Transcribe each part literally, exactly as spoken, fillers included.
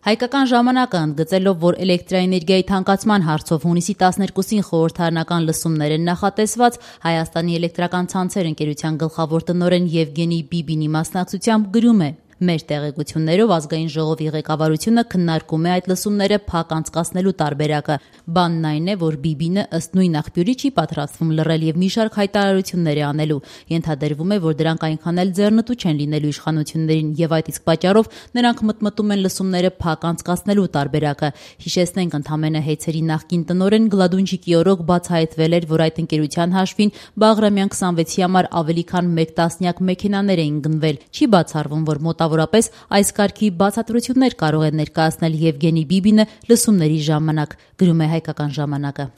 Հայկական ժամանակը ընդգծելով, որ էլեկտրաէներգիայի թանկացման հարցով հունիսի տասներկուսին խորհրդարանական լսումներ են նախատեսված, Հայաստանի էլեկտրական ցանցեր ընկերության գլխավոր տնօրեն Եվգենի Բիբինի մասնակցությամբ գրում է. «Մեր տեղեկություններով ազգային ժողովի ղեկավարությունը քննարկում է այդ լսումները փակ անցկացնելու տարբերակը։ Բանն այն է, որ Բիբինը ըստ նույն աղբյուրի չի պատրաստվում լռել եւ մի շարք հայտարարություններ է անելու։ Ենթադրվում է, որ դրանք այնքան էլ ձեռնտու չեն լինելու իշխանություններին եւ այդ իսկ պատճառով նրանք մտմտում են լսումները փակ անցկացնելու տարբերակը։ Հիշեցնենք, ընդամենը Հեյցերի նախկին տնօրեն Գլադունջիկի օրոք բացահայտվել էր, որ այդ ընկերության հաշվին Բաղրամյան քսանվեցի համար ավելի քան մեկ տասնյակ մեքենաներ էին գնվել։ Չի բացառվում, որ մոտավորապես այս կարգի բացատրություններ կարող է ներկայացնել Եվգենի Բիբինը լսումների ժամանակ, գրում է Հայկական ժամանակը։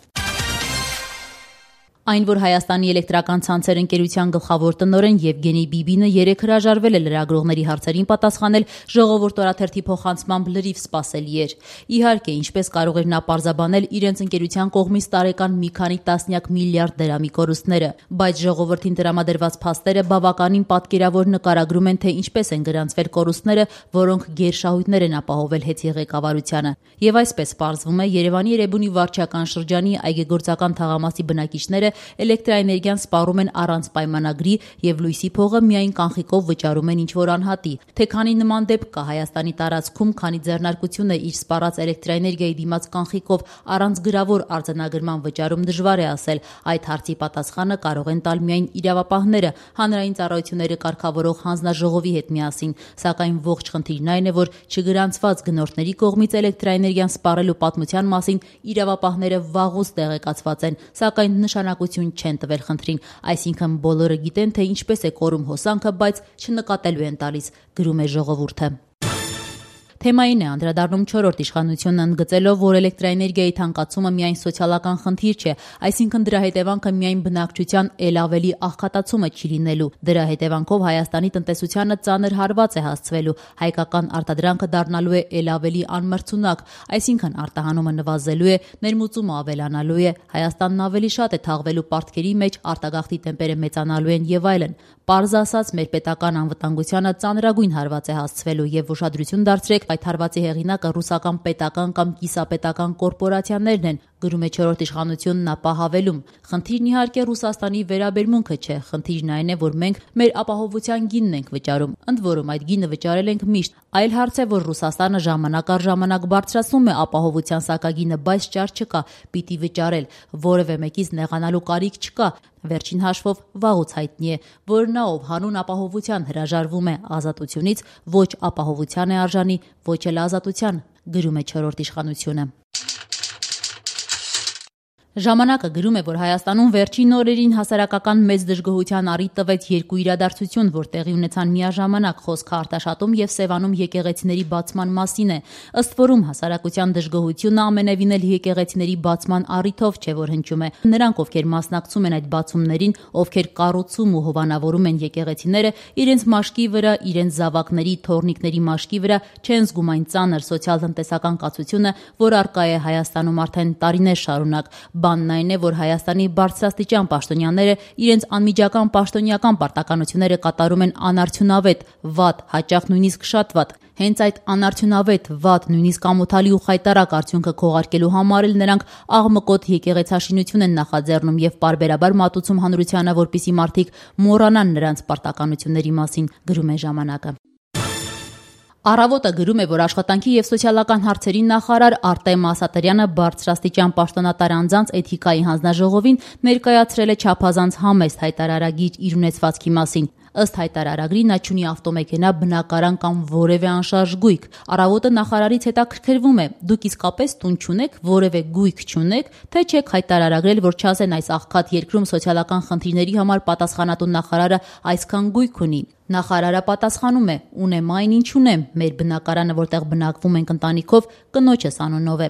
Այն, որ Հայաստանի էլեկտրական ցանցեր ընկերության գլխավոր տնօրեն Եվգենի Բիբինը երեկ հրաժարվել է լրագրողների հարցերին պատասխանել, Ժողովուրդ օրաթերթի փոխանցմամբ լրիվ սպասելի էր։ Իհարկե, ինչպես կարող էր նա պարզաբանել իրենց ընկերության կողմից տարեկան մի քանի տասնյակ միլիարդ դրամի կորուստները, բայց ժողովրդին տրամադրված փաստերը բավականին պատկերավոր նկարագրում են, թե ինչպես են գրանցվել կորուստները, որոնք գերշահույթներ են ապահովել Հեյցի ղեկավարությանը։ Եվ այսպես պարզվում է, Երևանի Էրեբունի վարչական շրջանի այգեգործական թաղամասի բնակիչները էլեկտրաէներգիան սպառում են առանց պայմանագրի եւ լույսի փողը միայն կանխիկով վճարում են ինչ-որ անհատի։ Թե քանի նման դեպք կա Հայաստանի տարածքում, քանի ձեռնարկությունը իր սպառած էլեկտրաէներգիայի դիմաց կանխիկով առանց գրավոր արձանագրման վճարում դժվար է ասել, այդ հարցի պատասխանը կարող են տալ միայն իրավապահները, հանրային ծառայությունները կարգավորող հանձնաժողովի հետ միասին, սակայն ողջ խնդիրն այն է, որ չգրանցված գնորդների կողմից էլեկտրաէներգիան սպառելու պատմության մասին իրավապահները վաղուց տեղեկացված են, սակայն նշանակություն չեն տվել խնդրին, այսինքն բոլորը գիտեն, թե ինչպես է կորում հոսանքը, բայց չնկատելու են տալիս, գրում է Ժողովուրդը։ Թեմային է անդրադառնում չորրորդ իշխանությունն ընդգծելով, որ էլեկտրաէներգիայի թանկացումը միայն սոցիալական խնդիր չէ, այսինքն դրա հետևանքը միայն բնակչության ել ավելի աղքատացումը չի լինելու։ Դրա հետևանքով Հայաստանի տնտեսությանը ծանր հարված է հասցվելու, հայկական արտադրանքը դառնալու է ել ավելի անմրցունակ, այսինքն արտահանումը նվազելու է, ներմուծումը ավելանալու է, Հայաստանն ավելի շատ է թաղվելու պարտքերի մեջ, արտագաղթի տեմպերը մեծանալու են եւ այլն։ Պարզ ասած, մեր պետական անվտանգությանը ծանրագույն հարված է հասցվելու եւ ուշադրություն դարձրեք, այդ հարվածի հեղինակը ռուսական պետական կամ կիսապետական կորպորացիաներն են, գրում է չորրորդ իշխանությունն ապա հավելում. խնդիրն իհարկե Ռուսաստանի վերաբերմունքը չէ, խնդիրն այն է, որ մենք մեր ապահովության գինն ենք վճարում, ընդ որում այդ գինը վճարել ենք միշտ, այլ հարց է, որ Ռուսաստանը ժամանակ առ ժամանակ բարձրացնում է ապահովության սակագինը, բայց ճար չկա, պիտի վճարել, որևէ մեկից նեղանալու կարիք չկա։ Վերջին հաշվով վաղուց հայտնի է, որ նա, ով հանուն ապահովության հրաժարվում է ազատությունից, ոչ ապահովության է արժանի, ոչ էլ ազատության, գրում է չորրորդ իշխանությունը։ Ժամանակը գրում է, որ Հայաստանում վերջին օրերին հասարակական մեծ դժգոհության առիթ տվեց երկու իրադարձություն, որ տեղի ունեցան միաժամանակ, խոսքը Արտաշատում եւ Սևանում եկեղեցիների բացման մասին է։ Ըստ որում հասարակության դժգոհությունը ամենևին էլ եկեղեցիների բացման առիթով չէ, որ հնչում է։ Նրանք, ովքեր մասնակցում են այդ բացումներին, ովքեր կառուցում ու հովանավորում են եկեղեցիները, իրենց մաշկի վրա, իրենց զավակների, թոռնիկների մաշկի վրա չեն զգում այն ծանր սոցիալ-տնտեսական կացությունը, որ առկա է Հայաստանում արդեն տարիներ շարունակ։ Բանն այն է, որ Հայաստանի բարձրաստիճան պաշտոնյաները իրենց անմիջական պաշտոնյական պարտականությունները կատարում են անարդյունավետ, վատ, հաճախ նույնիսկ շատ վատ։ Հենց այդ անարդյունավետ, վատ, նույնիսկ ամոթալի ու խայտառակ արդյունքը քողարկելու համար էլ նրանք աղմկոտ եկեղեցաշինություն են նախաձեռնում եւ պարբերաբար մատուցում հանրությանը, որպիսի մարդիկ մոռանան նրանց պարտականությունների մասին, գրում է ժամանակը։ Առավոտը գրում է, որ աշխատանքի եւ սոցիալական հարցերի նախարար Արտեմ Ասատրյանը բարձրաստիճան պաշտոնատար անձանց էթիկայի հանձնաժողովին ներկայացրել է չափազանց համեստ հայտարարագիր իր ունեցվածքի մասին։ Ըստ հայտարարագրի նա չունի ավտոմեքենա, բնակարան կամ որևէ անշարժ գույք։ Առավոտը նախարարից հետաքրքրվում է. դուք իսկապես տուն չունեք, որևէ գույք չունեք, թե չեք հայտարարագրել, որ չասեն այս աղքատ երկրում սոցիալական խնդիրների համար պատասխանատու նախարարը այսքան գույք ունի։ Նախարարը պատասխանում է. ունեմ այն, ինչ ունեմ, մեր բնակարանը, որտեղ բնակվում ենք ընտանիքով, կնոջս անունով է։